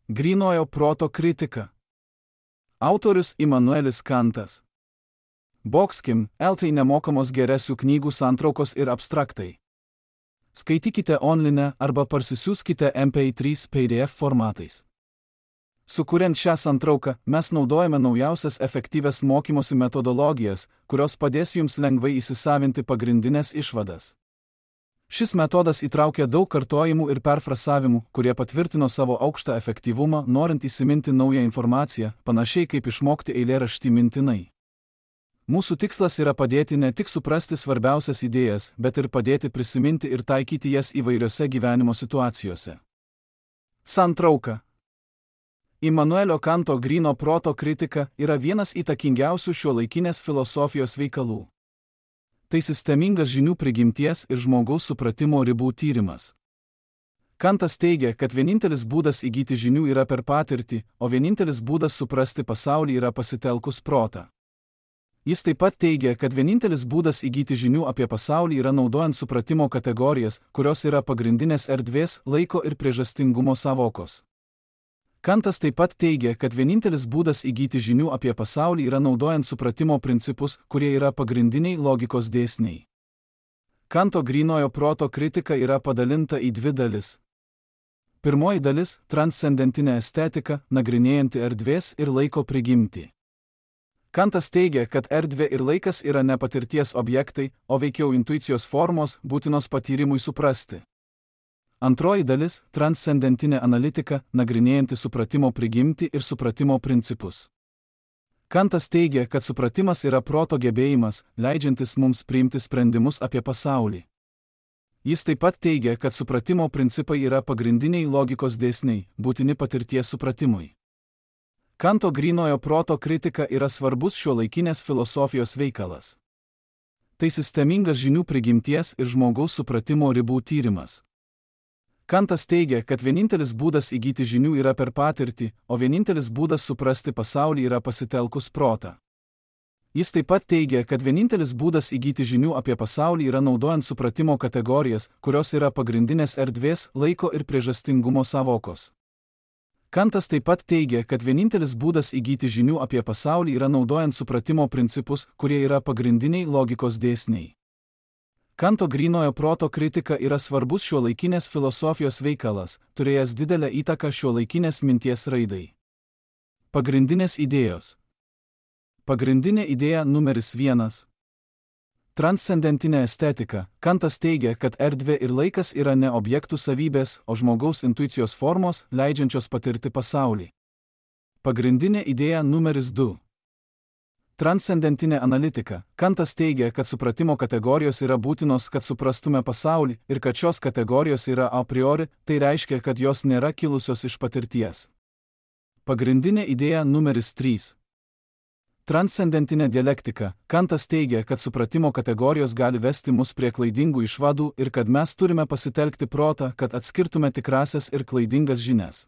Grynojo proto kritika. Autorius Immanuelis Kantas. Boxkim, LT nemokamos geresių knygų santraukos ir abstraktai. Skaitykite online arba parsisiųskite MP3 PDF formatais. Sukuriant šią santrauką, mes naudojame naujausias efektyvias mokymosi metodologijas, kurios padės jums lengvai įsisavinti pagrindinės išvadas. Šis metodas įtraukia daug kartojimų ir perfrasavimų, kurie patvirtino savo aukštą efektyvumą, norint įsiminti naują informaciją, panašiai kaip išmokti eilėraštį mintinai. Mūsų tikslas yra padėti ne tik suprasti svarbiausias idėjas, bet ir padėti prisiminti ir taikyti jas įvairiose gyvenimo situacijose. Santrauka. Immanuelio Kanto gryno proto kritika yra vienas įtakingiausių šiuolaikinės filosofijos veikalų. Tai sistemingas žinių prigimties ir žmogaus supratimo ribų tyrimas. Kantas teigia, kad vienintelis būdas įgyti žinių yra per patirtį, o vienintelis būdas suprasti pasaulį yra pasitelkus protą. Jis taip pat teigia, kad vienintelis būdas įgyti žinių apie pasaulį yra naudojant supratimo kategorijas, kurios yra pagrindinės erdvės, laiko ir priežastingumo sąvokos. Kantas taip pat teigia, kad vienintelis būdas įgyti žinių apie pasaulį yra naudojant supratimo principus, kurie yra pagrindiniai logikos dėsniai. Kanto grynojo proto kritika yra padalinta į dvi dalis. Pirmoji dalis – transcendentinė estetika, nagrinėjanti erdvės ir laiko prigimtį. Kantas teigia, kad erdvė ir laikas yra ne patirties objektai, o veikiau intuicijos formos, būtinos patyrimui suprasti. Antroji dalis – transcendentinė analitika, nagrinėjanti supratimo prigimtį ir supratimo principus. Kantas teigia, kad supratimas yra proto gebėjimas, leidžiantis mums priimti sprendimus apie pasaulį. Jis taip pat teigia, kad supratimo principai yra pagrindiniai logikos dėsniai, būtini patirties supratimui. Kanto grynojo proto kritika yra svarbus šiuolaikinės filosofijos veikalas. Tai sistemingas žinių prigimties ir žmogaus supratimo ribų tyrimas. Kantas teigia, kad vienintelis būdas įgyti žinių yra per patirtį, o vienintelis būdas suprasti pasaulį yra pasitelkus protą. Jis taip pat teigia, kad vienintelis būdas įgyti žinių apie pasaulį yra naudojant supratimo kategorijas, kurios yra pagrindinės erdvės, laiko ir priežastingumo sąvokos. Kantas taip pat teigia, kad vienintelis būdas įgyti žinių apie pasaulį yra naudojant supratimo principus, kurie yra pagrindiniai logikos dėsniai. Kanto grynojo proto kritika yra svarbus šiuolaikinės filosofijos veikalas, turėjęs didelę įtaką šiuolaikinės minties raidai. Pagrindinės idėjos. Pagrindinė idėja numeris 1. Transcendentinė estetika. Kantas teigia, kad erdvė ir laikas yra ne objektų savybės, o žmogaus intuicijos formos, leidžiančios patirti pasaulį. Pagrindinė idėja numeris 2. Transcendentinė analitika. Kantas teigia, kad supratimo kategorijos yra būtinos, kad suprastume pasaulį, ir kad šios kategorijos yra a priori, tai reiškia, kad jos nėra kilusios iš patirties. Pagrindinė idėja numeris 3. Transcendentinė dialektika. Kantas teigia, kad supratimo kategorijos gali vesti mus prie klaidingų išvadų ir kad mes turime pasitelkti protą, kad atskirtume tikrasias ir klaidingas žinias.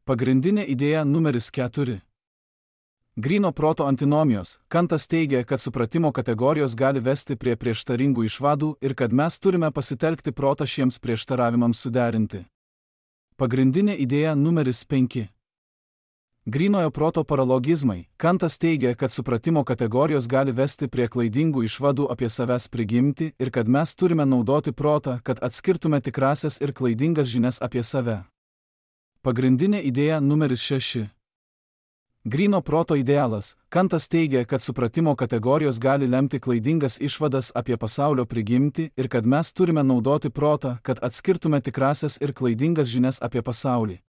Pagrindinė idėja numeris 4. Gryno proto antinomijos. Kantas teigia, kad supratimo kategorijos gali vesti prie prieštaringų išvadų ir kad mes turime pasitelkti protą šiems prieštaravimams suderinti. Pagrindinė idėja numeris 5. Grynojo proto paralogizmai. Kantas teigia, kad supratimo kategorijos gali vesti prie klaidingų išvadų apie savęs prigimtį ir kad mes turime naudoti protą, kad atskirtume tikrasias ir klaidingas žinias apie save. Pagrindinė idėja numeris 6. Gryno proto idealas. Kantas teigia, kad supratimo kategorijos gali lemti klaidingas išvadas apie pasaulio prigimtį ir kad mes turime naudoti protą, kad atskirtume tikrasias ir klaidingas žinias apie pasaulį.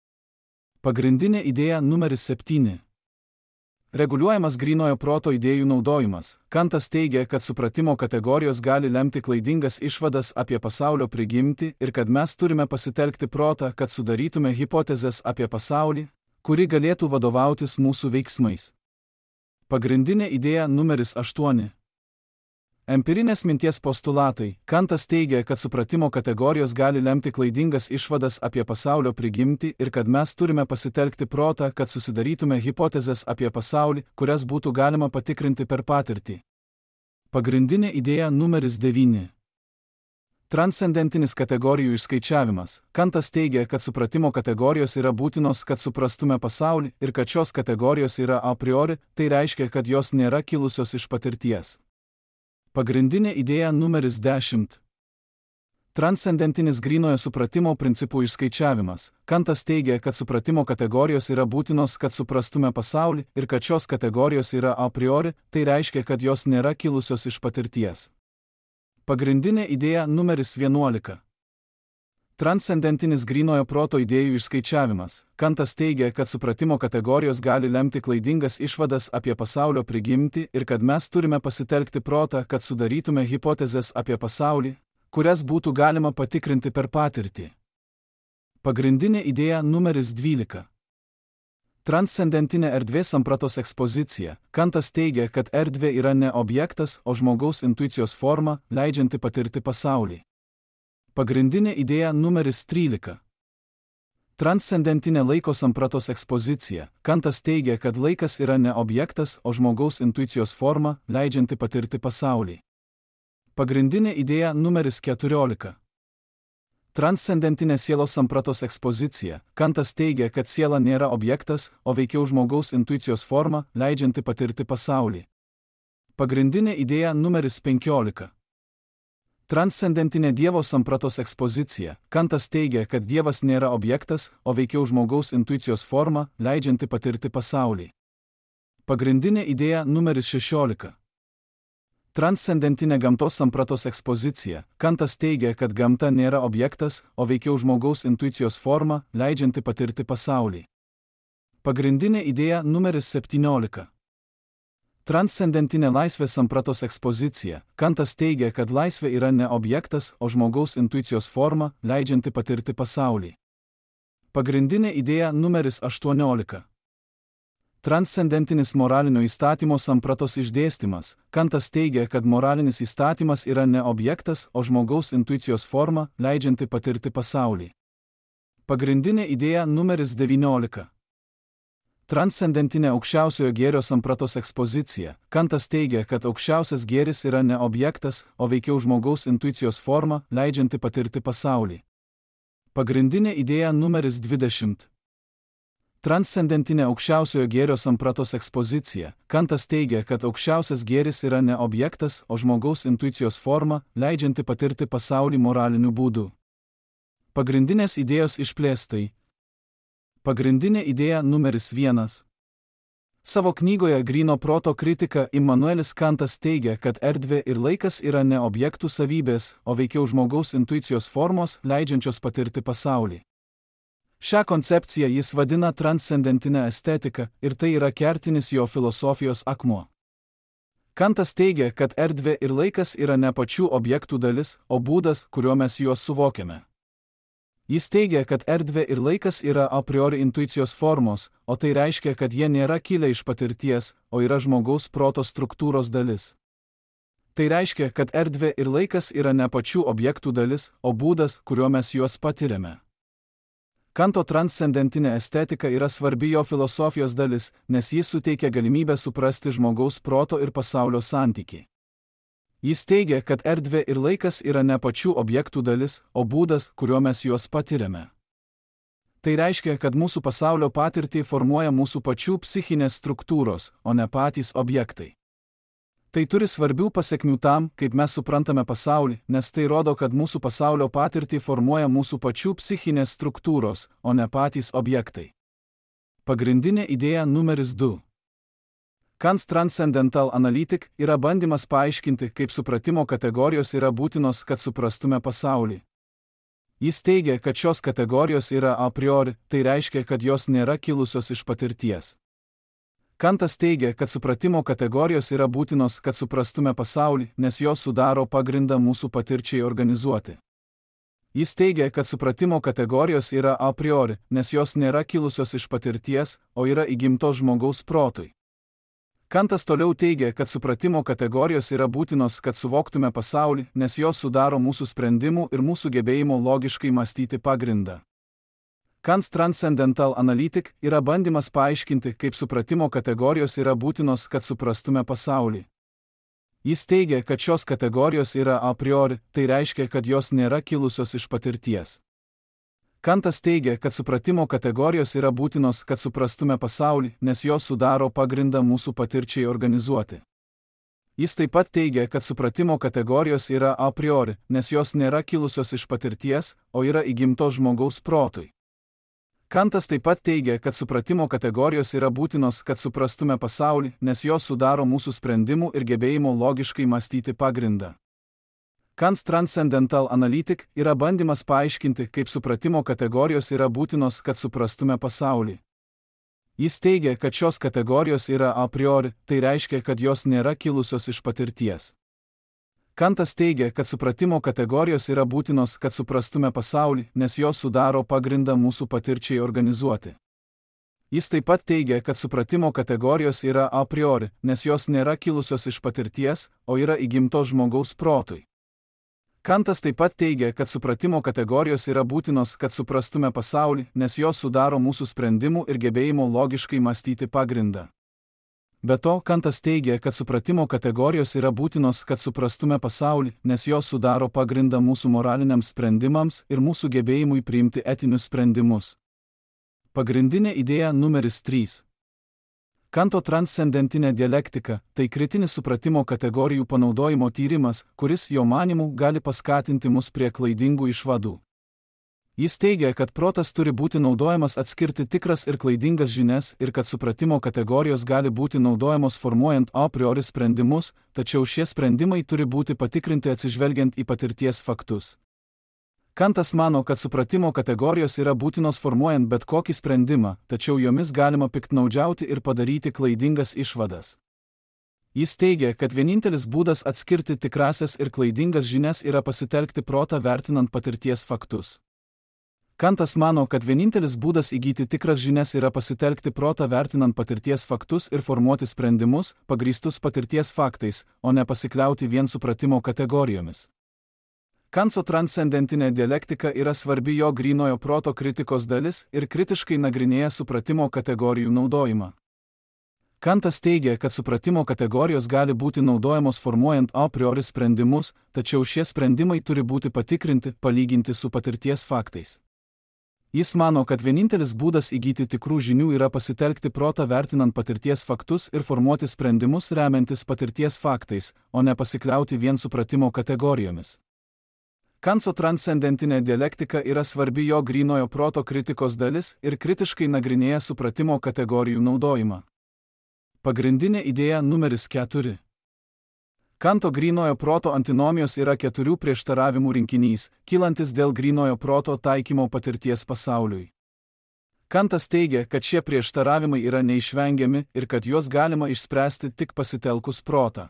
Pagrindinė idėja numeris 7. Reguliuojamas grynojo proto idėjų naudojimas. Kantas teigia, kad supratimo kategorijos gali lemti klaidingas išvadas apie pasaulio prigimtį ir kad mes turime pasitelkti protą, kad sudarytume hipotezes apie pasaulį, kuri galėtų vadovautis mūsų veiksmais. Pagrindinė idėja numeris 8. Empirinės minties postulatai. Kantas teigia, kad supratimo kategorijos gali lemti klaidingas išvadas apie pasaulio prigimtį ir kad mes turime pasitelkti protą, kad susidarytume hipotezes apie pasaulį, kurias būtų galima patikrinti per patirtį. Pagrindinė idėja numeris 9. Transcendentinis kategorijų išskaičiavimas. Kantas teigia, kad supratimo kategorijos yra būtinos, kad suprastume pasaulį ir kad šios kategorijos yra a priori, tai reiškia, kad jos nėra kilusios iš patirties. Pagrindinė idėja numeris 10. Transcendentinis grynojo supratimo principų išskaičiavimas. Kantas teigia, kad supratimo kategorijos yra būtinos, kad suprastume pasaulį ir kad šios kategorijos yra a priori, tai reiškia, kad jos nėra kilusios iš patirties. Pagrindinė idėja numeris 11. Transcendentinis grynojo proto idėjų išskaičiavimas. Kantas teigia, kad supratimo kategorijos gali lemti klaidingas išvadas apie pasaulio prigimtį ir kad mes turime pasitelkti protą, kad sudarytume hipotezes apie pasaulį, kurias būtų galima patikrinti per patirtį. Pagrindinė idėja numeris 12. Transcendentinė erdvės sampratos ekspozicija. Kantas teigia, kad erdvė yra ne objektas, o žmogaus intuicijos forma, leidžianti patirti pasaulį. Pagrindinė idėja numeris 13. Transcendentinė laiko sampratos ekspozicija. Kantas teigia, kad laikas yra ne objektas, o žmogaus intuicijos forma, leidžianti patirti pasaulį. Pagrindinė idėja numeris 14. Transcendentinė sielos sampratos ekspozicija. Kantas teigia, kad siela nėra objektas, o veikiau žmogaus intuicijos forma, leidžianti patirti pasaulį. Pagrindinė idėja numeris 15. Transcendentinė Dievo sampratos ekspozicija. Kantas teigia, kad Dievas nėra objektas, o veikiau žmogaus intuicijos forma, leidžianti patirti pasaulį. Pagrindinė idėja numeris 16. Transcendentinė gamtos sampratos ekspozicija. Kantas teigia, kad gamta nėra objektas, o veikiau žmogaus intuicijos forma, leidžianti patirti pasaulį. Pagrindinė idėja numeris 17. Transcendentinė laisvės sampratos ekspozicija. Kantas teigia, kad laisvė yra ne objektas, o žmogaus intuicijos forma, leidžianti patirti pasaulį. Pagrindinė idėja numeris 18. Transcendentinis moralinio įstatymo sampratos išdėstymas. Kantas teigia, kad moralinis įstatymas yra ne objektas, o žmogaus intuicijos forma, leidžianti patirti pasaulį. Pagrindinė idėja numeris 19. Transcendentinė aukščiausiojo gėrio sampratos ekspozicija. Kantas teigia, kad aukščiausias gėris yra ne objektas, o veikiau žmogaus intuicijos forma, leidžianti patirti pasaulį. Pagrindinė idėja numeris 20. Transcendentinė aukščiausiojo gėrio sampratos ekspozicija. Kantas teigia, kad aukščiausias gėris yra ne objektas, o žmogaus intuicijos forma, leidžianti patirti pasaulį moraliniu būdu. Pagrindinės idėjos išplėstai. Pagrindinė idėja numeris 1. Savo knygoje Gryno proto kritika Immanuelis Kantas teigia, kad erdvė ir laikas yra ne objektų savybės, o veikiau žmogaus intuicijos formos, leidžiančios patirti pasaulį. Šią koncepciją jis vadina transcendentinę estetiką ir tai yra kertinis jo filosofijos akmuo. Kantas teigia, kad erdvė ir laikas yra ne pačių objektų dalis, o būdas, kuriuo mes juos suvokiame. Jis teigia, kad erdvė ir laikas yra a priori intuicijos formos, o tai reiškia, kad jie nėra kilę iš patirties, o yra žmogaus proto struktūros dalis. Tai reiškia, kad erdvė ir laikas yra ne pačių objektų dalis, o būdas, kuriuo mes juos patiriame. Kanto transcendentinė estetika yra svarbi jo filosofijos dalis, nes jis suteikia galimybę suprasti žmogaus proto ir pasaulio santykį. Jis teigia, kad erdvė ir laikas yra ne pačių objektų dalis, o būdas, kuriuo mes juos patiriame. Tai reiškia, kad mūsų pasaulio patirtį formuoja mūsų pačių psichinės struktūros, o ne patys objektai. Tai turi svarbių pasekmių tam, kaip mes suprantame pasaulį, nes tai rodo, kad mūsų pasaulio patirtį formuoja mūsų pačių psichinės struktūros, o ne patys objektai. Pagrindinė idėja numeris 2. Kant's Transcendental Analytic yra bandymas paaiškinti, kaip supratimo kategorijos yra būtinos, kad suprastume pasaulį. Jis teigia, kad šios kategorijos yra a priori, tai reiškia, kad jos nėra kilusios iš patirties. Kantas teigia, kad supratimo kategorijos yra būtinos, kad suprastume pasaulį, nes jos sudaro pagrindą mūsų patirčiai organizuoti. Jis teigia, kad supratimo kategorijos yra a priori, nes jos nėra kilusios iš patirties, o yra įgimtos žmogaus protui. Kantas toliau teigia, kad supratimo kategorijos yra būtinos, kad suvoktume pasaulį, nes jos sudaro mūsų sprendimų ir mūsų gebėjimo logiškai mąstyti pagrindą. Kant's Transcendental Analytic yra bandymas paaiškinti, kaip supratimo kategorijos yra būtinos, kad suprastume pasaulį. Jis teigia, kad šios kategorijos yra a priori, tai reiškia, kad jos nėra kilusios iš patirties. Kantas teigia, kad supratimo kategorijos yra būtinos, kad suprastume pasaulį, nes jos sudaro pagrindą mūsų patirčiai organizuoti. Jis taip pat teigia, kad supratimo kategorijos yra a priori, nes jos nėra kilusios iš patirties, o yra įgimtos žmogaus protui. Kantas taip pat teigia, kad supratimo kategorijos yra būtinos, kad suprastume pasaulį, nes jos sudaro mūsų sprendimų ir gebėjimo logiškai mąstyti pagrindą. Kant's Transcendental Analytic yra bandymas paaiškinti, kaip supratimo kategorijos yra būtinos, kad suprastume pasaulį. Jis teigia, kad šios kategorijos yra a priori, tai reiškia, kad jos nėra kilusios iš patirties. Kantas teigia, kad supratimo kategorijos yra būtinos, kad suprastume pasaulį, nes jos sudaro pagrindą mūsų patirčiai organizuoti. Jis taip pat teigia, kad supratimo kategorijos yra a priori, nes jos nėra kilusios iš patirties, o yra įgimtos žmogaus protui. Kantas taip pat teigia, kad supratimo kategorijos yra būtinos, kad suprastume pasaulį, nes jos sudaro mūsų sprendimų ir gebėjimo logiškai mąstyti pagrindą. Be to, Kantas teigia, kad supratimo kategorijos yra būtinos, kad suprastume pasaulį, nes jos sudaro pagrindą mūsų moraliniams sprendimams ir mūsų gebėjimui priimti etinius sprendimus. Pagrindinė idėja numeris 3. Kanto transcendentinė dialektika – tai kritinis supratimo kategorijų panaudojimo tyrimas, kuris, jo manymu, gali paskatinti mus prie klaidingų išvadų. Jis teigia, kad protas turi būti naudojamas atskirti tikras ir klaidingas žinias ir kad supratimo kategorijos gali būti naudojamos formuojant a priori sprendimus, tačiau šie sprendimai turi būti patikrinti atsižvelgiant į patirties faktus. Kantas mano, kad supratimo kategorijos yra būtinos formuojant bet kokį sprendimą, tačiau jomis galima piktnaudžiauti ir padaryti klaidingas išvadas. Jis teigia, kad vienintelis būdas atskirti tikrasias ir klaidingas žinias yra pasitelkti protą vertinant patirties faktus. Kantas mano, kad vienintelis būdas įgyti tikras žinias yra pasitelkti protą vertinant patirties faktus ir formuoti sprendimus, pagrįstus patirties faktais, o ne pasikliauti vien supratimo kategorijomis. Kantso transcendentinė dialektika yra svarbi jo grynojo proto kritikos dalis ir kritiškai nagrinėja supratimo kategorijų naudojimą. Kantas teigia, kad supratimo kategorijos gali būti naudojamos formuojant a priori sprendimus, tačiau šie sprendimai turi būti patikrinti, palyginti su patirties faktais. Jis mano, kad vienintelis būdas įgyti tikrų žinių yra pasitelkti protą vertinant patirties faktus ir formuoti sprendimus remiantis patirties faktais, o ne pasikliauti vien supratimo kategorijomis. Kantso transcendentinė dialektika yra svarbi jo grynojo proto kritikos dalis ir kritiškai nagrinėja supratimo kategorijų naudojimą. Pagrindinė idėja numeris 4. Kanto grynojo proto antinomijos yra 4 prieštaravimų rinkinys, kylantis dėl grynojo proto taikymo patirties pasauliui. Kantas teigia, kad šie prieštaravimai yra neišvengiami ir kad juos galima išspręsti tik pasitelkus protą.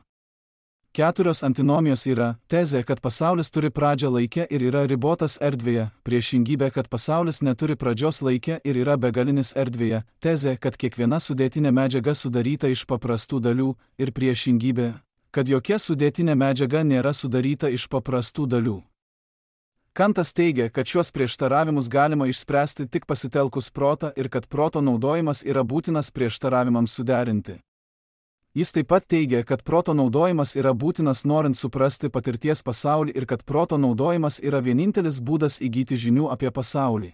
4 antinomijos yra tezė, kad pasaulis turi pradžią laike ir yra ribotas erdvėje, priešingybė, kad pasaulis neturi pradžios laike ir yra begalinis erdvėje, tezė, kad kiekviena sudėtinė medžiaga sudaryta iš paprastų dalių ir priešingybė, kad jokia sudėtinė medžiaga nėra sudaryta iš paprastų dalių. Kantas teigia, kad šiuos prieštaravimus galima išspręsti tik pasitelkus protą ir kad proto naudojimas yra būtinas prieštaravimams suderinti. Jis taip pat teigia, kad proto naudojimas yra būtinas norint suprasti patirties pasaulį ir kad proto naudojimas yra vienintelis būdas įgyti žinių apie pasaulį.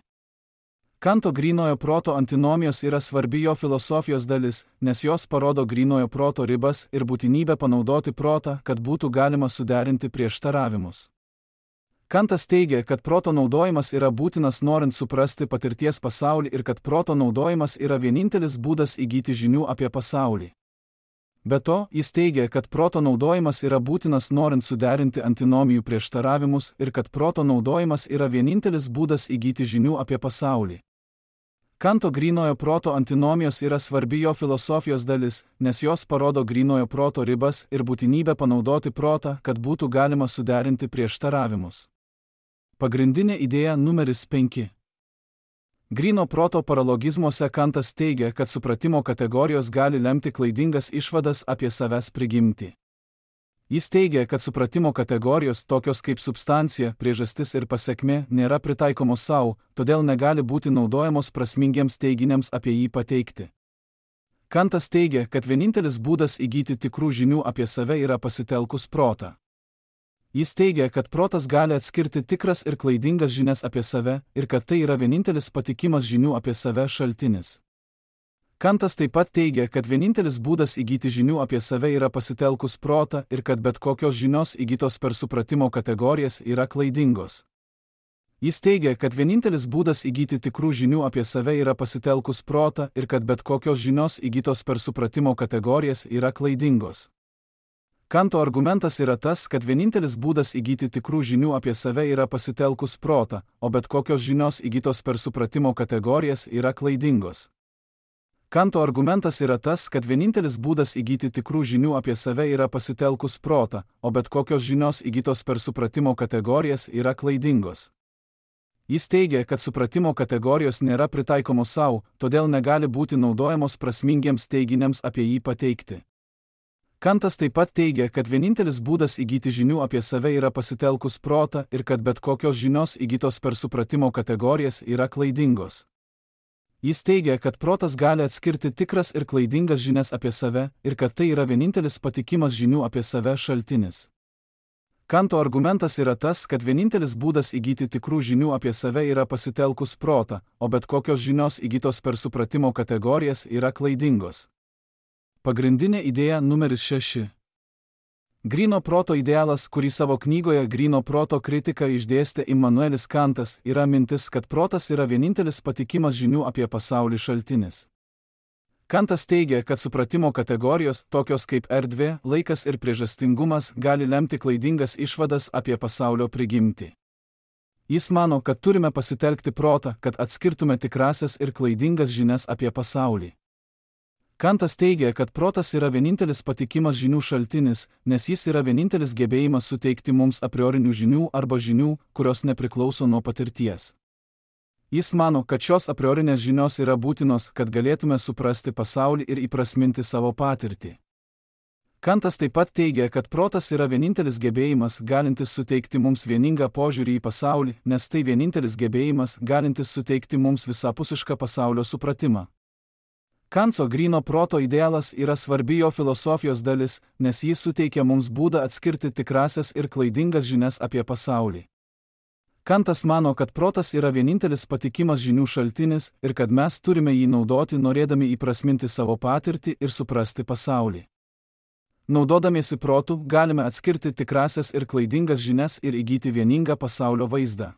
Kanto grynojo proto antinomijos yra svarbi jo filosofijos dalis, nes jos parodo grynojo proto ribas ir būtinybę panaudoti protą, kad būtų galima suderinti prieštaravimus. Kantas teigia, kad proto naudojimas yra būtinas norint suprasti patirties pasaulį ir kad proto naudojimas yra vienintelis būdas įgyti žinių apie pasaulį. Be to, jis teigia, kad proto naudojimas yra būtinas norint suderinti antinomijų prieštaravimus ir kad proto naudojimas yra vienintelis būdas įgyti žinių apie pasaulį. Kanto grynojo proto antinomijos yra svarbi jo filosofijos dalis, nes jos parodo grynojo proto ribas ir būtinybę panaudoti protą, kad būtų galima suderinti prieštaravimus. Pagrindinė idėja numeris 5. Gryno proto paralogizmuose Kantas teigia, kad supratimo kategorijos gali lemti klaidingas išvadas apie savęs prigimtį. Jis teigia, kad supratimo kategorijos tokios kaip substancija, priežastis ir pasekmė nėra pritaikomos savo, todėl negali būti naudojamos prasmingiems teiginiams apie jį pateikti. Kantas teigia, kad vienintelis būdas įgyti tikrų žinių apie save yra pasitelkus protą. Jis teigia, kad protas gali atskirti tikras ir klaidingas žinias apie save ir kad tai yra vienintelis patikimas žinių apie save šaltinis. Kantas taip pat teigia, kad vienintelis būdas įgyti žinių apie save yra pasitelkus protą ir kad bet kokios žinios įgytos per supratimo kategorijas yra klaidingos. Jis teigia, kad vienintelis būdas įgyti tikrų žinių apie save yra pasitelkus protą ir kad bet kokios žinios įgytos per supratimo kategorijas yra klaidingos. Kanto argumentas yra tas, kad vienintelis būdas įgyti tikrų žinių apie save yra pasitelkus protą, o bet kokios žinios įgytos per supratimo kategorijas yra klaidingos. Kanto argumentas yra tas, kad vienintelis būdas įgyti tikrų žinių apie save yra pasitelkus protą, o bet kokios žinios įgytos per supratimo kategorijas yra klaidingos. Jis teigia, kad supratimo kategorijos nėra pritaikomos savo, todėl negali būti naudojamos prasmingiems teiginiams apie jį pateikti. Kantas taip pat teigia, kad vienintelis būdas įgyti žinių apie save yra pasitelkus protą ir kad bet kokios žinios įgytos per supratimo kategorijas yra klaidingos. Jis teigia, kad protas gali atskirti tikras ir klaidingas žinias apie save ir kad tai yra vienintelis patikimas žinių apie save šaltinis. Kanto argumentas yra tas, kad vienintelis būdas įgyti tikrų žinių apie save yra pasitelkus protą, o bet kokios žinios įgytos per supratimo kategorijas yra klaidingos. Pagrindinė idėja numeris 6. Gryno proto idealas, kurį savo knygoje Gryno proto kritika išdėstė Immanuelis Kantas, yra mintis, kad protas yra vienintelis patikimas žinių apie pasaulį šaltinis. Kantas teigia, kad supratimo kategorijos, tokios kaip erdvė, laikas ir priežastingumas, gali lemti klaidingas išvadas apie pasaulio prigimtį. Jis mano, kad turime pasitelkti protą, kad atskirtume tikrasias ir klaidingas žinias apie pasaulį. Kantas teigia, kad protas yra vienintelis patikimas žinių šaltinis, nes jis yra vienintelis gebėjimas suteikti mums a priorinių žinių arba žinių, kurios nepriklauso nuo patirties. Jis mano, kad šios a priorinės žinios yra būtinos, kad galėtume suprasti pasaulį ir įprasminti savo patirtį. Kantas taip pat teigia, kad protas yra vienintelis gebėjimas, galintis suteikti mums vieningą požiūrį į pasaulį, nes tai vienintelis gebėjimas, galintis suteikti mums visapusišką pasaulio supratimą. Kanto gryno proto idealas yra svarbi jo filosofijos dalis, nes jis suteikia mums būdą atskirti tikrasias ir klaidingas žinias apie pasaulį. Kantas mano, kad protas yra vienintelis patikimas žinių šaltinis ir kad mes turime jį naudoti norėdami įprasminti savo patirtį ir suprasti pasaulį. Naudodamiesi protu galime atskirti tikrasias ir klaidingas žinias ir įgyti vieningą pasaulio vaizdą.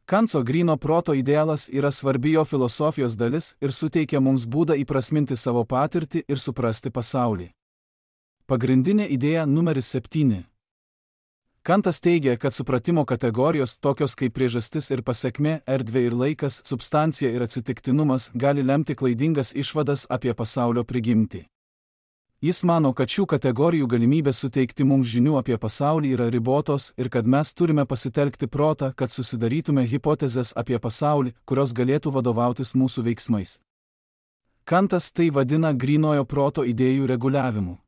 Kanto gryno proto idealas yra svarbi jo filosofijos dalis ir suteikia mums būdą įprasminti savo patirtį ir suprasti pasaulį. Pagrindinė idėja numeris 7. Kantas teigia, kad supratimo kategorijos, tokios kaip priežastis ir pasekmė, erdvė ir laikas, substancija ir atsitiktinumas, gali lemti klaidingas išvadas apie pasaulio prigimtį. Jis mano, kad šių kategorijų galimybės suteikti mums žinių apie pasaulį yra ribotos ir kad mes turime pasitelkti protą, kad susidarytume hipotezes apie pasaulį, kurios galėtų vadovautis mūsų veiksmais. Kantas tai vadina grynojo proto idėjų reguliavimu.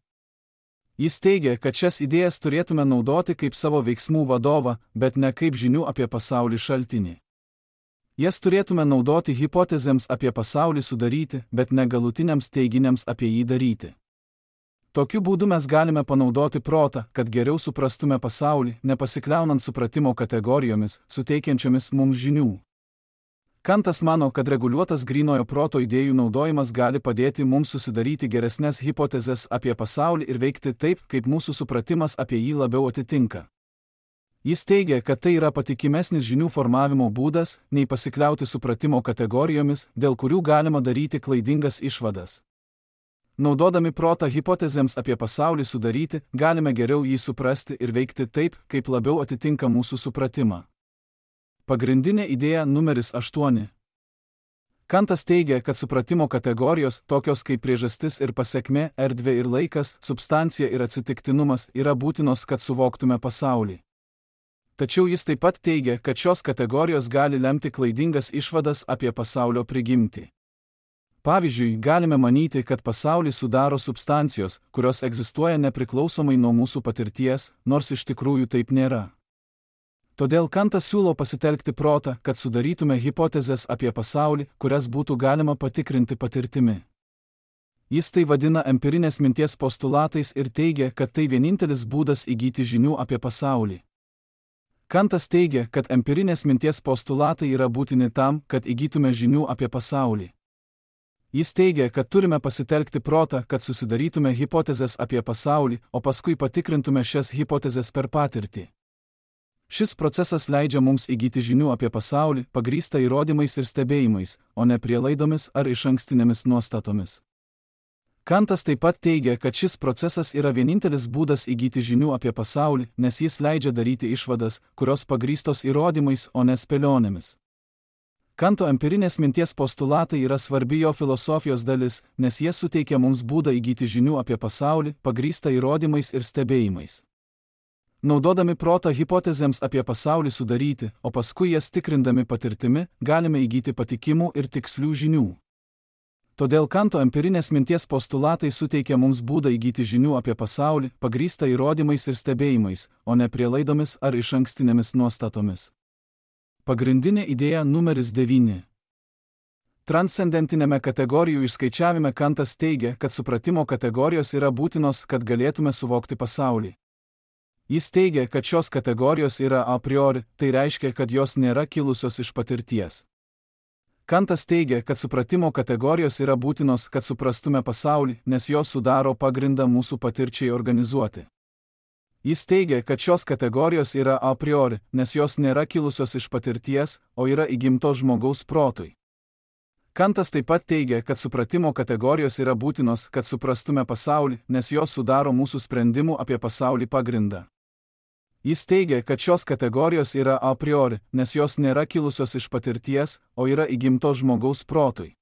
Jis teigia, kad šias idėjas turėtume naudoti kaip savo veiksmų vadovą, bet ne kaip žinių apie pasaulį šaltinį. Jas turėtume naudoti hipotezėms apie pasaulį sudaryti, bet ne galutiniams teiginiams apie jį daryti. Tokiu būdu mes galime panaudoti protą, kad geriau suprastume pasaulį, nepasikliaunant supratimo kategorijomis, suteikiančiomis mums žinių. Kantas mano, kad reguliuotas grynojo proto idėjų naudojimas gali padėti mums susidaryti geresnes hipotezes apie pasaulį ir veikti taip, kaip mūsų supratimas apie jį labiau atitinka. Jis teigia, kad tai yra patikimesnis žinių formavimo būdas, nei pasikliauti supratimo kategorijomis, dėl kurių galima daryti klaidingas išvadas. Naudodami protą hipotezėms apie pasaulį sudaryti, galime geriau jį suprasti ir veikti taip, kaip labiau atitinka mūsų supratimą. Pagrindinė idėja numeris 8. Kantas teigia, kad supratimo kategorijos, tokios kaip priežastis ir pasekmė, erdvė ir laikas, substancija ir atsitiktinumas, yra būtinos, kad suvoktume pasaulį. Tačiau jis taip pat teigia, kad šios kategorijos gali lemti klaidingas išvadas apie pasaulio prigimtį. Pavyzdžiui, galime manyti, kad pasaulį sudaro substancijos, kurios egzistuoja nepriklausomai nuo mūsų patirties, nors iš tikrųjų taip nėra. Todėl Kantas siūlo pasitelkti protą, kad sudarytume hipotezes apie pasaulį, kurias būtų galima patikrinti patirtimi. Jis tai vadina empirinės minties postulatais ir teigia, kad tai vienintelis būdas įgyti žinių apie pasaulį. Kantas teigia, kad empirinės minties postulatai yra būtini tam, kad įgytume žinių apie pasaulį. Jis teigia, kad turime pasitelkti protą, kad susidarytume hipotezes apie pasaulį, o paskui patikrintume šias hipotezes per patirtį. Šis procesas leidžia mums įgyti žinių apie pasaulį, pagrįstą įrodymais ir stebėjimais, o ne prielaidomis ar išankstinėmis nuostatomis. Kantas taip pat teigia, kad šis procesas yra vienintelis būdas įgyti žinių apie pasaulį, nes jis leidžia daryti išvadas, kurios pagrįstos įrodymais, o ne spėlionėmis. Kanto empirinės minties postulatai yra svarbi jo filosofijos dalis, nes jie suteikia mums būdą įgyti žinių apie pasaulį, pagrįstą įrodymais ir stebėjimais. Naudodami protą hipotezėms apie pasaulį sudaryti, o paskui jas tikrindami patirtimi, galime įgyti patikimų ir tikslių žinių. Todėl Kanto empirinės minties postulatai suteikia mums būdą įgyti žinių apie pasaulį, pagrįstą įrodymais ir stebėjimais, o ne prielaidomis ar išankstinėmis nuostatomis. Pagrindinė idėja numeris 9. Transcendentinėme kategorijų išskaičiavime Kantas teigia, kad supratimo kategorijos yra būtinos, kad galėtume suvokti pasaulį. Jis teigia, kad šios kategorijos yra a priori, tai reiškia, kad jos nėra kilusios iš patirties. Kantas teigia, kad supratimo kategorijos yra būtinos, kad suprastume pasaulį, nes jos sudaro pagrindą mūsų patirčiai organizuoti. Jis teigia, kad šios kategorijos yra a priori, nes jos nėra kilusios iš patirties, o yra įgimtos žmogaus protui. Kantas taip pat teigia, kad supratimo kategorijos yra būtinos, kad suprastume pasaulį, nes jos sudaro mūsų sprendimų apie pasaulį pagrindą. Jis teigia, kad šios kategorijos yra a priori, nes jos nėra kilusios iš patirties, o yra įgimtos žmogaus protui.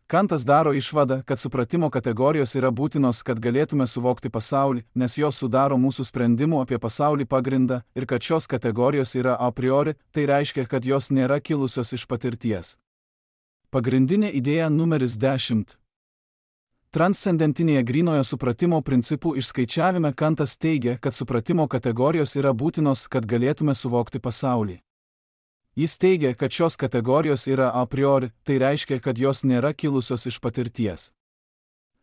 Kantas daro išvadą, kad supratimo kategorijos yra būtinos, kad galėtume suvokti pasaulį, nes jos sudaro mūsų sprendimų apie pasaulį pagrindą, ir kad šios kategorijos yra a priori, tai reiškia, kad jos nėra kilusios iš patirties. Pagrindinė idėja numeris 10. Transcendentinėje grynojo supratimo principų išskaičiavime Kantas teigia, kad supratimo kategorijos yra būtinos, kad galėtume suvokti pasaulį. Jis teigia, kad šios kategorijos yra a priori, tai reiškia, kad jos nėra kilusios iš patirties.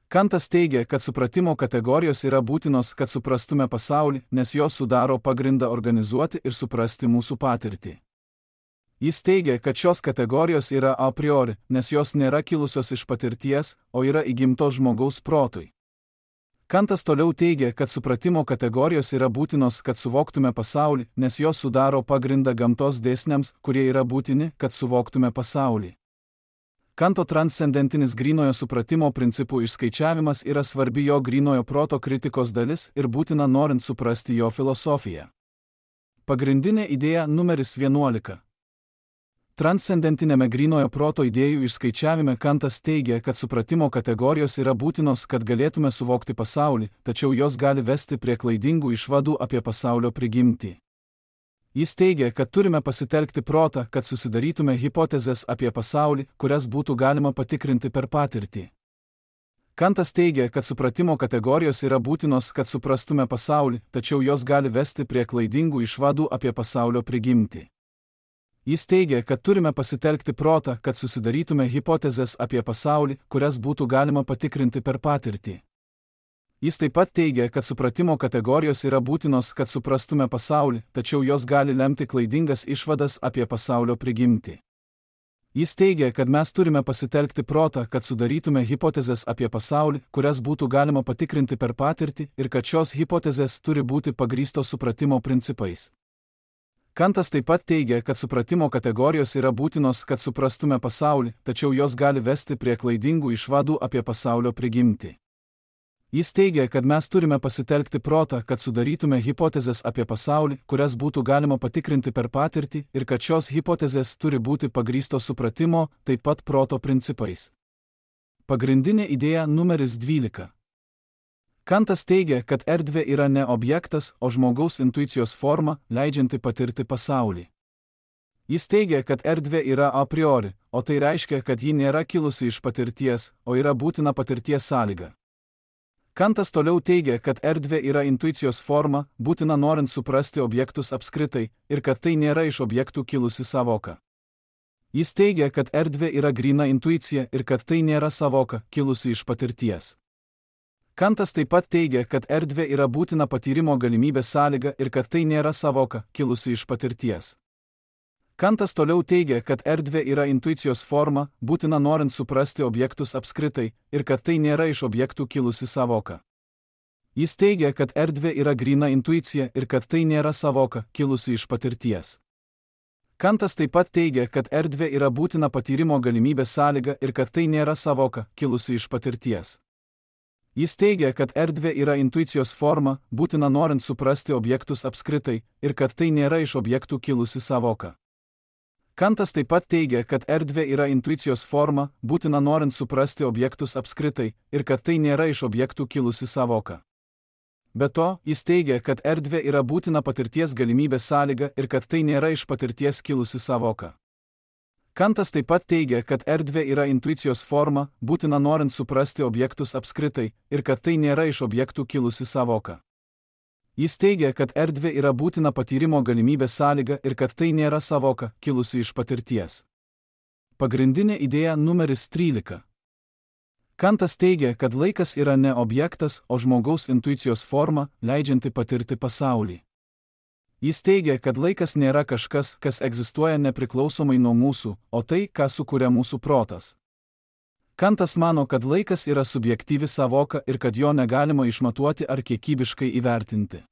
Kantas teigia, kad supratimo kategorijos yra būtinos, kad suprastume pasaulį, nes jos sudaro pagrindą organizuoti ir suprasti mūsų patirtį. Jis teigia, kad šios kategorijos yra a priori, nes jos nėra kilusios iš patirties, o yra įgimtos žmogaus protui. Kantas toliau teigia, kad supratimo kategorijos yra būtinos, kad suvoktume pasaulį, nes jos sudaro pagrindą gamtos dėsniams, kurie yra būtini, kad suvoktume pasaulį. Kanto transcendentinis grynojo supratimo principų išskaičiavimas yra svarbi jo grynojo proto kritikos dalis ir būtina norint suprasti jo filosofiją. Pagrindinė idėja numeris 11. Transcendentinėme grynojo proto idėjų išskaičiavime Kantas teigia, kad supratimo kategorijos yra būtinos, kad galėtume suvokti pasaulį, tačiau jos gali vesti prie klaidingų išvadų apie pasaulio prigimtį. Jis teigia, kad turime pasitelkti protą, kad susidarytume hipotezes apie pasaulį, kurias būtų galima patikrinti per patirtį. Kantas teigia, kad supratimo kategorijos yra būtinos, kad suprastume pasaulį, tačiau jos gali vesti prie klaidingų išvadų apie pasaulio prigimtį. Jis teigia, kad turime pasitelkti protą, kad susidarytume hipotezes apie pasaulį, kurias būtų galima patikrinti per patirtį. Jis taip pat teigia, kad supratimo kategorijos yra būtinos, kad suprastume pasaulį, tačiau jos gali lemti klaidingas išvadas apie pasaulio prigimtį. Jis teigia, kad mes turime pasitelkti protą, kad sudarytume hipotezes apie pasaulį, kurias būtų galima patikrinti per patirtį, ir kad šios hipotezės turi būti pagrįstos supratimo principais. Kantas taip pat teigia, kad supratimo kategorijos yra būtinos, kad suprastume pasaulį, tačiau jos gali vesti prie klaidingų išvadų apie pasaulio prigimtį. Jis teigia, kad mes turime pasitelkti protą, kad sudarytume hipotezes apie pasaulį, kurias būtų galima patikrinti per patirtį, ir kad šios hipotezės turi būti pagrįstos supratimo, taip pat proto principais. Pagrindinė idėja numeris 12. Kantas teigia, kad erdvė yra ne objektas, o žmogaus intuicijos forma, leidžianti patirti pasaulį. Jis teigia, kad erdvė yra a priori, o tai reiškia, kad ji nėra kilusi iš patirties, o yra būtina patirties sąlyga. Kantas toliau teigia, kad erdvė yra intuicijos forma, būtina norint suprasti objektus apskritai, ir kad tai nėra iš objektų kilusi sąvoka. Jis teigia, kad erdvė yra gryna intuicija ir kad tai nėra sąvoka, kilusi iš patirties. Kantas taip pat teigia, kad erdvė yra būtina patyrimo galimybės sąlyga ir kad tai nėra sąvoka, kilusi iš patirties. Kantas toliau teigia, kad erdvė yra intuicijos forma, būtina norint suprasti objektus apskritai, ir kad tai nėra iš objektų kilusi sąvoka. Jis teigia, kad erdvė yra gryna intuicija ir kad tai nėra sąvoka, kilusi iš patirties. Kantas taip pat teigia, kad erdvė yra būtina patyrimo galimybės sąlyga ir kad tai nėra sąvoka, kilusi iš patirties. Jis teigia, kad erdvė yra intuicijos forma, būtina norint suprasti objektus apskritai, ir kad tai nėra iš objektų kilusi sąvoka. Kantas taip pat teigia, kad erdvė yra intuicijos forma, būtina norint suprasti objektus apskritai, ir kad tai nėra iš objektų kilusi sąvoka. Be to, jis teigia, kad erdvė yra būtina patirties galimybės sąlyga ir kad tai nėra iš patirties kilusi sąvoka. Kantas taip pat teigia, kad erdvė yra intuicijos forma, būtina norint suprasti objektus apskritai, ir kad tai nėra iš objektų kilusi sąvoka. Jis teigia, kad erdvė yra būtina patyrimo galimybės sąlyga ir kad tai nėra sąvoka, kilusi iš patirties. Pagrindinė idėja numeris 13. Kantas teigia, kad laikas yra ne objektas, o žmogaus intuicijos forma, leidžianti patirti pasaulį. Jis teigia, kad laikas nėra kažkas, kas egzistuoja nepriklausomai nuo mūsų, o tai, ką sukuria mūsų protas. Kantas mano, kad laikas yra subjektyvi sąvoka ir kad jo negalima išmatuoti ar kiekybiškai įvertinti.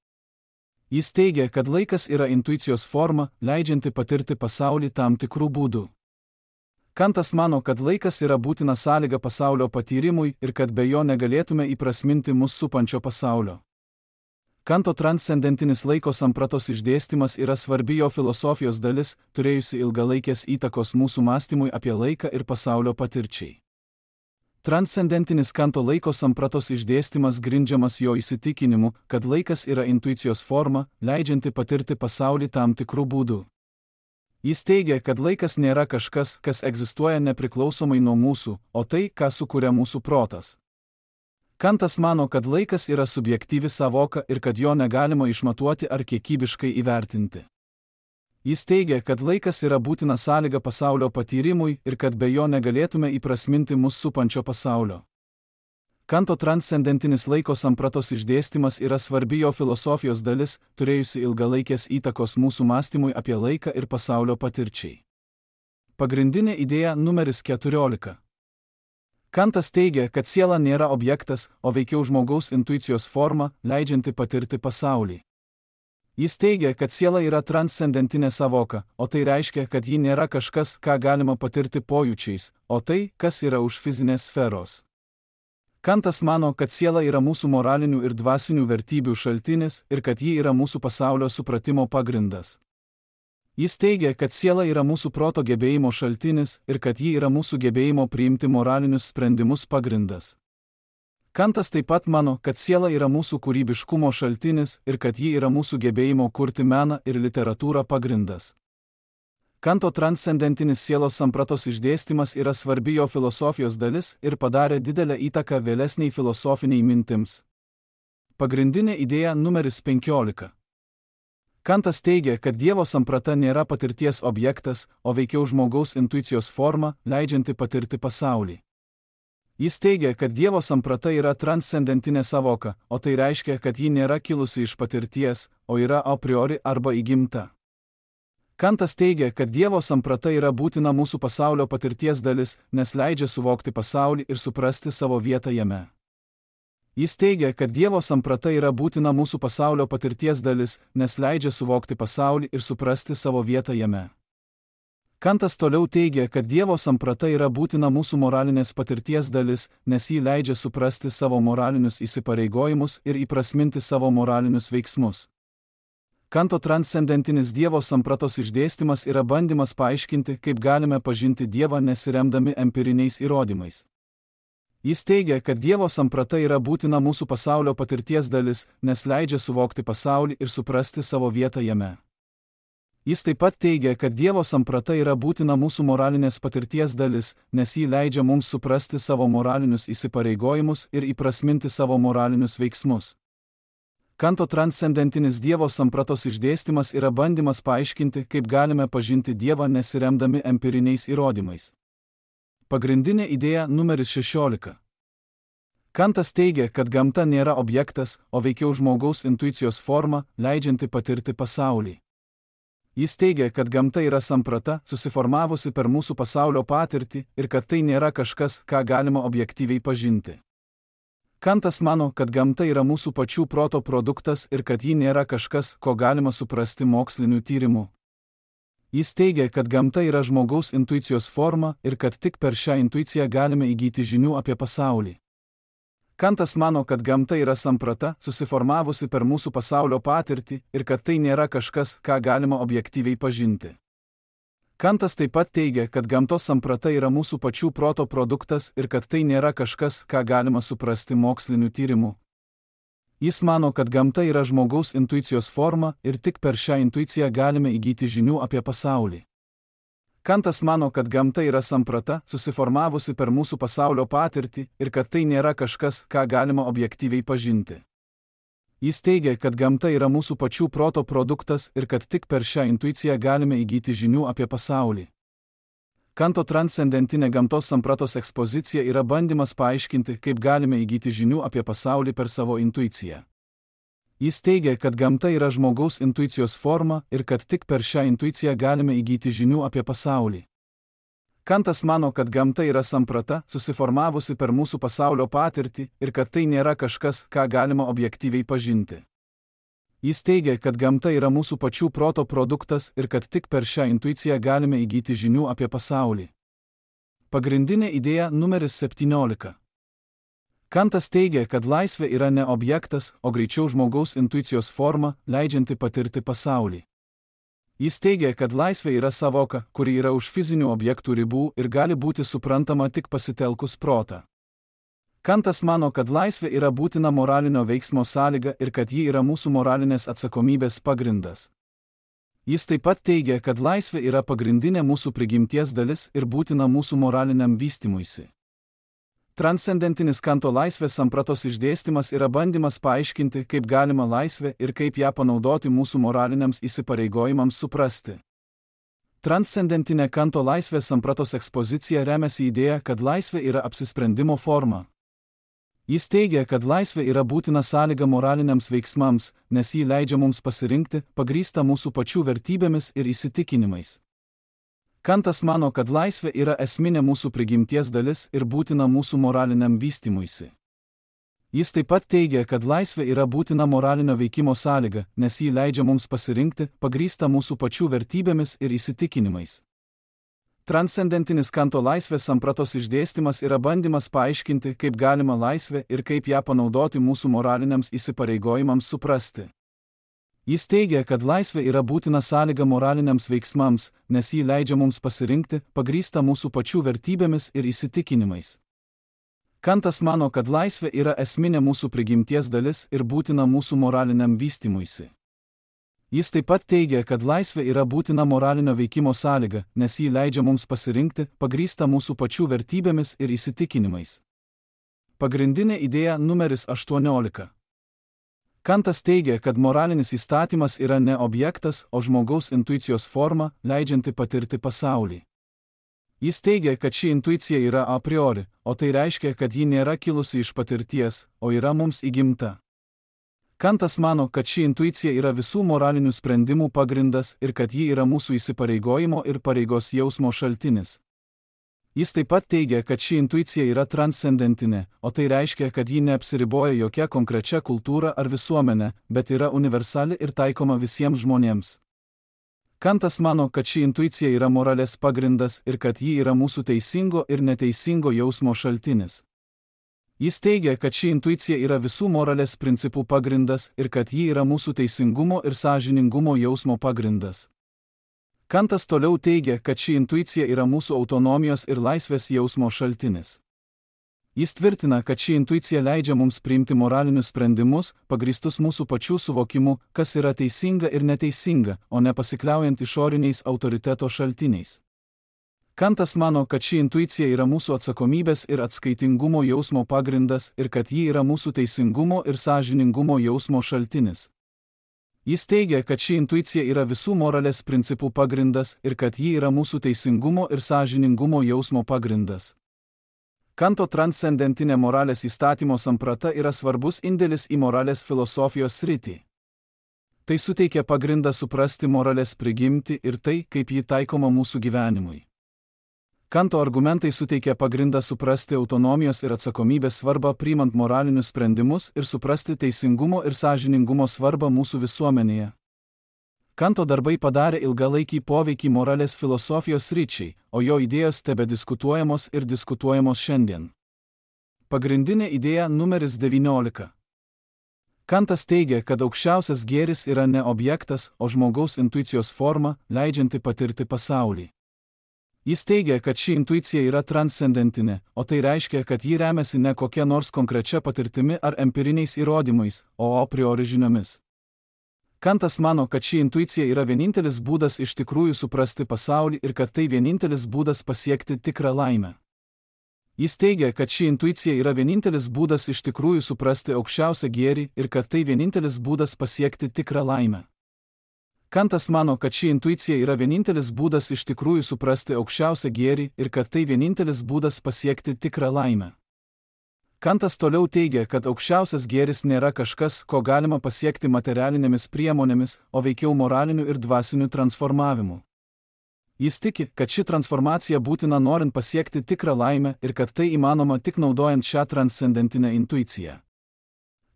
Jis teigia, kad laikas yra intuicijos forma, leidžianti patirti pasaulį tam tikrų būdų. Kantas mano, kad laikas yra būtina sąlyga pasaulio patyrimui ir kad be jo negalėtume įprasminti mus supančio pasaulio. Kanto transcendentinis laiko sampratos išdėstymas yra svarbi jo filosofijos dalis, turėjusi ilgalaikės įtakos mūsų mąstymui apie laiką ir pasaulio patirčiai. Transcendentinis Kanto laiko sampratos išdėstymas grindžiamas jo įsitikinimu, kad laikas yra intuicijos forma, leidžianti patirti pasaulį tam tikrų būdų. Jis teigia, kad laikas nėra kažkas, kas egzistuoja nepriklausomai nuo mūsų, o tai, ką sukuria mūsų protas. Kantas mano, kad laikas yra subjektyvi sąvoka ir kad jo negalima išmatuoti ar kiekybiškai įvertinti. Jis teigia, kad laikas yra būtina sąlyga pasaulio patyrimui ir kad be jo negalėtume įprasminti mus supančio pasaulio. Kanto transcendentinis laiko sampratos išdėstymas yra svarbi jo filosofijos dalis, turėjusi ilgalaikės įtakos mūsų mąstymui apie laiką ir pasaulio patirčiai. Pagrindinė idėja numeris 14. Kantas teigia, kad siela nėra objektas, o veikiau žmogaus intuicijos forma, leidžianti patirti pasaulį. Jis teigia, kad siela yra transcendentinė sąvoka, o tai reiškia, kad ji nėra kažkas, ką galima patirti pojūčiais, o tai, kas yra už fizinės sferos. Kantas mano, kad siela yra mūsų moralinių ir dvasinių vertybių šaltinis ir kad ji yra mūsų pasaulio supratimo pagrindas. Jis teigia, kad siela yra mūsų proto gebėjimo šaltinis ir kad ji yra mūsų gebėjimo priimti moralinius sprendimus pagrindas. Kantas taip pat mano, kad siela yra mūsų kūrybiškumo šaltinis ir kad ji yra mūsų gebėjimo kurti meną ir literatūrą pagrindas. Kanto transcendentinis sielos sampratos išdėstymas yra svarbi jo filosofijos dalis ir padarė didelę įtaką vėlesniai filosofiniai mintims. Pagrindinė idėja numeris 15. Kantas teigia, kad Dievo samprata nėra patirties objektas, o veikiau žmogaus intuicijos forma, leidžianti patirti pasaulį. Jis teigia, kad Dievo samprata yra transcendentinė sąvoka, o tai reiškia, kad ji nėra kilusi iš patirties, o yra a priori arba įgimta. Kantas teigia, kad Dievo samprata yra būtina mūsų pasaulio patirties dalis, nes leidžia suvokti pasaulį ir suprasti savo vietą jame. Jis teigia, kad Dievo samprata yra būtina mūsų pasaulio patirties dalis, nes leidžia suvokti pasaulį ir suprasti savo vietą jame. Kantas toliau teigia, kad Dievo samprata yra būtina mūsų moralinės patirties dalis, nes ji leidžia suprasti savo moralinius įsipareigojimus ir įprasminti savo moralinius veiksmus. Kanto transcendentinis Dievo sampratos išdėstymas yra bandymas paaiškinti, kaip galime pažinti Dievą nesiremdami empiriniais įrodymais. Jis teigia, kad Dievo samprata yra būtina mūsų pasaulio patirties dalis, nes leidžia suvokti pasaulį ir suprasti savo vietą jame. Jis taip pat teigia, kad Dievo samprata yra būtina mūsų moralinės patirties dalis, nes ji leidžia mums suprasti savo moralinius įsipareigojimus ir įprasminti savo moralinius veiksmus. Kanto transcendentinis Dievo sampratos išdėstymas yra bandymas paaiškinti, kaip galime pažinti Dievą nesiremdami empiriniais įrodymais. Pagrindinė idėja numeris 16. Kantas teigia, kad gamta nėra objektas, o veikiau žmogaus intuicijos forma, leidžianti patirti pasaulį. Jis teigia, kad gamta yra samprata, susiformavusi per mūsų pasaulio patirtį ir kad tai nėra kažkas, ką galima objektyviai pažinti. Kantas mano, kad gamta yra mūsų pačių proto produktas ir kad ji nėra kažkas, ko galima suprasti moksliniu tyrimu. Jis teigia, kad gamta yra žmogaus intuicijos forma ir kad tik per šią intuiciją galime įgyti žinių apie pasaulį. Kantas mano, kad gamta yra samprata, susiformavusi per mūsų pasaulio patirtį ir kad tai nėra kažkas, ką galima objektyviai pažinti. Kantas taip pat teigia, kad gamtos samprata yra mūsų pačių proto produktas ir kad tai nėra kažkas, ką galima suprasti moksliniu tyrimu. Jis mano, kad gamta yra žmogaus intuicijos forma ir tik per šią intuiciją galime įgyti žinių apie pasaulį. Kantas mano, kad gamta yra samprata, susiformavusi per mūsų pasaulio patirtį ir kad tai nėra kažkas, ką galima objektyviai pažinti. Jis teigia, kad gamta yra mūsų pačių proto produktas ir kad tik per šią intuiciją galime įgyti žinių apie pasaulį. Kanto transcendentinė gamtos sampratos ekspozicija yra bandymas paaiškinti, kaip galime įgyti žinių apie pasaulį per savo intuiciją. Jis teigia, kad gamta yra žmogaus intuicijos forma ir kad tik per šią intuiciją galime įgyti žinių apie pasaulį. Kantas mano, kad gamta yra samprata, susiformavusi per mūsų pasaulio patirtį ir kad tai nėra kažkas, ką galima objektyviai pažinti. Jis teigia, kad gamta yra mūsų pačių proto produktas ir kad tik per šią intuiciją galime įgyti žinių apie pasaulį. Pagrindinė idėja numeris 17. Kantas teigia, kad laisvė yra ne objektas, o greičiau žmogaus intuicijos forma, leidžianti patirti pasaulį. Jis teigia, kad laisvė yra savoka, kuri yra už fizinių objektų ribų ir gali būti suprantama tik pasitelkus protą. Kantas mano, kad laisvė yra būtina moralinio veiksmo sąlyga ir kad ji yra mūsų moralinės atsakomybės pagrindas. Jis taip pat teigia, kad laisvė yra pagrindinė mūsų prigimties dalis ir būtina mūsų moraliniam vystymuisi. Transcendentinis Kanto laisvės sampratos išdėstymas yra bandymas paaiškinti, kaip galima laisvę ir kaip ją panaudoti mūsų moraliniams įsipareigojimams suprasti. Transcendentinė Kanto laisvės sampratos ekspozicija remiasi idėja, kad laisvė yra apsisprendimo forma. Jis teigia, kad laisvė yra būtina sąlyga moraliniams veiksmams, nes ji leidžia mums pasirinkti, pagrįstą mūsų pačių vertybėmis ir įsitikinimais. Kantas mano, kad laisvė yra esminė mūsų prigimties dalis ir būtina mūsų moraliniam vystymuisi. Jis taip pat teigia, kad laisvė yra būtina moralinio veikimo sąlyga, nes ji leidžia mums pasirinkti, pagrįstą mūsų pačių vertybėmis ir įsitikinimais. Transcendentinis Kanto laisvės sampratos išdėstymas yra bandymas paaiškinti, kaip galima laisvę ir kaip ją panaudoti mūsų moraliniams įsipareigojimams suprasti. Jis teigia, kad laisvė yra būtina sąlyga moraliniams veiksmams, nes ji leidžia mums pasirinkti, pagrįstą mūsų pačių vertybėmis ir įsitikinimais. Kantas mano, kad laisvė yra esminė mūsų prigimties dalis ir būtina mūsų moraliniam vystymuisi. Jis taip pat teigia, kad laisvė yra būtina moralinio veikimo sąlyga, nes ji leidžia mums pasirinkti, pagrįstą mūsų pačių vertybėmis ir įsitikinimais. Pagrindinė idėja numeris 18. Kantas teigia, kad moralinis įstatymas yra ne objektas, o žmogaus intuicijos forma, leidžianti patirti pasaulį. Jis teigia, kad ši intuicija yra a priori, o tai reiškia, kad ji nėra kilusi iš patirties, o yra mums įgimta. Kantas mano, kad ši intuicija yra visų moralinių sprendimų pagrindas ir kad ji yra mūsų įsipareigojimo ir pareigos jausmo šaltinis. Jis taip pat teigia, kad ši intuicija yra transcendentinė, o tai reiškia, kad ji neapsiriboja jokia konkrečia kultūra ar visuomenė, bet yra universali ir taikoma visiems žmonėms. Kantas mano, kad ši intuicija yra moralės pagrindas ir kad ji yra mūsų teisingo ir neteisingo jausmo šaltinis. Jis teigia, kad ši intuicija yra visų moralės principų pagrindas ir kad ji yra mūsų teisingumo ir sąžiningumo jausmo pagrindas. Kantas toliau teigia, kad ši intuicija yra mūsų autonomijos ir laisvės jausmo šaltinis. Jis tvirtina, kad ši intuicija leidžia mums priimti moralinius sprendimus, pagrįstus mūsų pačių suvokimu, kas yra teisinga ir neteisinga, o ne pasikliaujant išoriniais autoriteto šaltiniais. Kantas mano, kad ši intuicija yra mūsų atsakomybės ir atskaitingumo jausmo pagrindas ir kad ji yra mūsų teisingumo ir sąžiningumo jausmo šaltinis. Jis teigia, kad ši intuicija yra visų moralės principų pagrindas ir kad ji yra mūsų teisingumo ir sąžiningumo jausmo pagrindas. Kanto transcendentinė moralės įstatymo samprata yra svarbus indėlis į moralės filosofijos sritį. Tai suteikia pagrindą suprasti moralės prigimtį ir tai, kaip ji taikoma mūsų gyvenimui. Kanto argumentai suteikia pagrindą suprasti autonomijos ir atsakomybės svarbą priimant moralinius sprendimus ir suprasti teisingumo ir sąžiningumo svarbą mūsų visuomenėje. Kanto darbai padarė ilgalaikį poveikį moralės filosofijos sričiai, o jo idėjos tebediskutuojamos ir diskutuojamos šiandien. Pagrindinė idėja numeris 19. Kantas teigia, kad aukščiausias gėris yra ne objektas, o žmogaus intuicijos forma, leidžianti patirti pasaulį. Jis teigia, kad ši intuicija yra transcendentinė, o tai reiškia, kad ji remiasi ne kokia nors konkrečia patirtimi ar empiriniais įrodymais, o a priori žiniomis. Kantas mano, kad ši intuicija yra vienintelis būdas iš tikrųjų suprasti pasaulį ir kad tai vienintelis būdas pasiekti tikrą laimę. Jis teigia, kad ši intuicija yra vienintelis būdas iš tikrųjų suprasti aukščiausią gėrį ir kad tai vienintelis būdas pasiekti tikrą laimę. Kantas mano, kad ši intuicija yra vienintelis būdas iš tikrųjų suprasti aukščiausią gėrį ir kad tai vienintelis būdas pasiekti tikrą laimę. Kantas toliau teigia, kad aukščiausias gėris nėra kažkas, ko galima pasiekti materialinėmis priemonėmis, o veikiau moraliniu ir dvasiniu transformavimu. Jis tiki, kad ši transformacija būtina norint pasiekti tikrą laimę ir kad tai įmanoma tik naudojant šią transcendentinę intuiciją.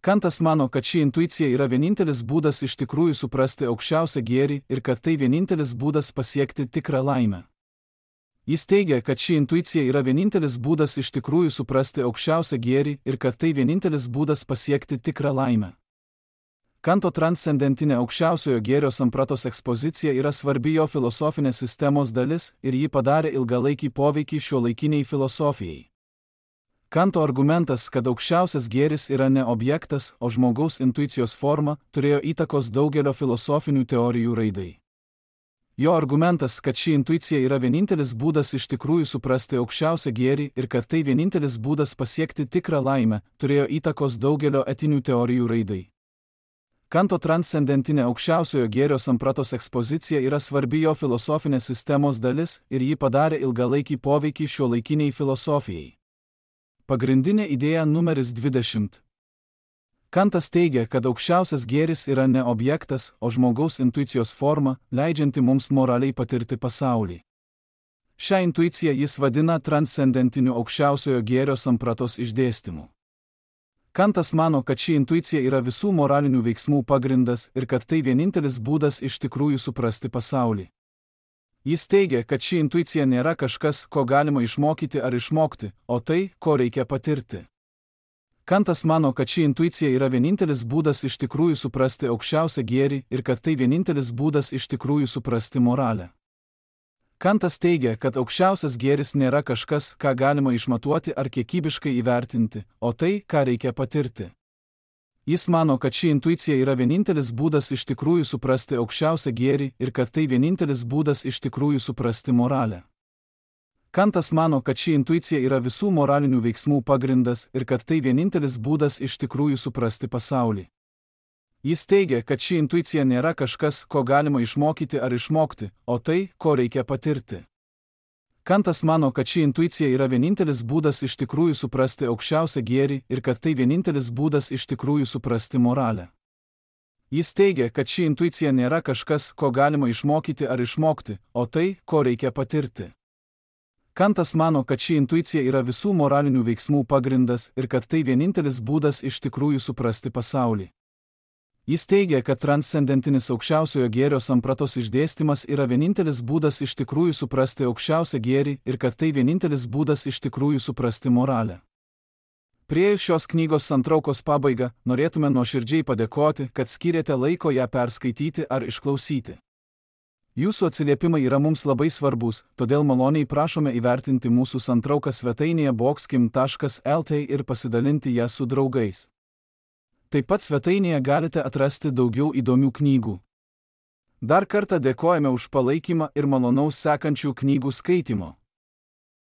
Kantas mano, kad ši intuicija yra vienintelis būdas iš tikrųjų suprasti aukščiausią gėrį ir kad tai vienintelis būdas pasiekti tikrą laimę. Jis teigia, kad ši intuicija yra vienintelis būdas iš tikrųjų suprasti aukščiausią gėrį ir kad tai vienintelis būdas pasiekti tikrą laimę. Kanto transcendentinė aukščiausiojo gėrio sampratos ekspozicija yra svarbi jo filosofinės sistemos dalis ir ji padarė ilgalaikį poveikį šiuolaikiniai filosofijai. Kanto argumentas, kad aukščiausias gėris yra ne objektas, o žmogaus intuicijos forma, turėjo įtakos daugelio filosofinių teorijų raidai. Jo argumentas, kad ši intuicija yra vienintelis būdas iš tikrųjų suprasti aukščiausią gėrį ir kad tai vienintelis būdas pasiekti tikrą laimę, turėjo įtakos daugelio etinių teorijų raidai. Kanto transcendentinė aukščiausiojo gėrio sampratos ekspozicija yra svarbi jo filosofinės sistemos dalis ir ji padarė ilgalaikį poveikį šiuolaikiniai filosofijai. Pagrindinė idėja numeris 20. Kantas teigia, kad aukščiausias gėris yra ne objektas, o žmogaus intuicijos forma, leidžianti mums moraliai patirti pasaulį. Šią intuiciją jis vadina transcendentiniu aukščiausiojo gėrio sampratos išdėstymu. Kantas mano, kad ši intuicija yra visų moralinių veiksmų pagrindas ir kad tai vienintelis būdas iš tikrųjų suprasti pasaulį. Jis teigia, kad ši intuicija nėra kažkas, ko galima išmokyti ar išmokti, o tai, ko reikia patirti. Kantas mano, kad ši intuicija yra vienintelis būdas iš tikrųjų suprasti aukščiausią gėrį ir kad tai vienintelis būdas iš tikrųjų suprasti moralę. Kantas teigia, kad aukščiausias gėris nėra kažkas, ką galima išmatuoti ar kiekybiškai įvertinti, o tai, ką reikia patirti. Jis mano, kad ši intuicija yra vienintelis būdas iš tikrųjų suprasti aukščiausią gėrį ir kad tai vienintelis būdas iš tikrųjų suprasti moralę. Kantas mano, kad ši intuicija yra visų moralinių veiksmų pagrindas ir kad tai vienintelis būdas iš tikrųjų suprasti pasaulį. Jis teigia, kad ši intuicija nėra kažkas, ko galima išmokyti ar išmokti, o tai, ko reikia patirti. Kantas mano, kad ši intuicija yra vienintelis būdas iš tikrųjų suprasti aukščiausią gėrį ir kad tai vienintelis būdas iš tikrųjų suprasti moralę. Jis teigia, kad ši intuicija nėra kažkas, ko galima išmokyti ar išmokti, o tai, ko reikia patirti. Kantas mano, kad ši intuicija yra visų moralinių veiksmų pagrindas ir kad tai vienintelis būdas iš tikrųjų suprasti pasaulį. Jis teigia, kad transcendentinis aukščiausiojo gėrio sampratos išdėstymas yra vienintelis būdas iš tikrųjų suprasti aukščiausią gėrį ir kad tai vienintelis būdas iš tikrųjų suprasti moralę. Priėjus šios knygos santraukos pabaigą, norėtume nuoširdžiai padėkoti, kad skyrėte laiko ją perskaityti ar išklausyti. Jūsų atsiliepimai yra mums labai svarbus, todėl maloniai prašome įvertinti mūsų santrauką svetainėje boxkim.lt ir pasidalinti ją su draugais. Taip pat svetainėje galite atrasti daugiau įdomių knygų. Dar kartą dėkojame už palaikymą ir malonaus sekančių knygų skaitimo.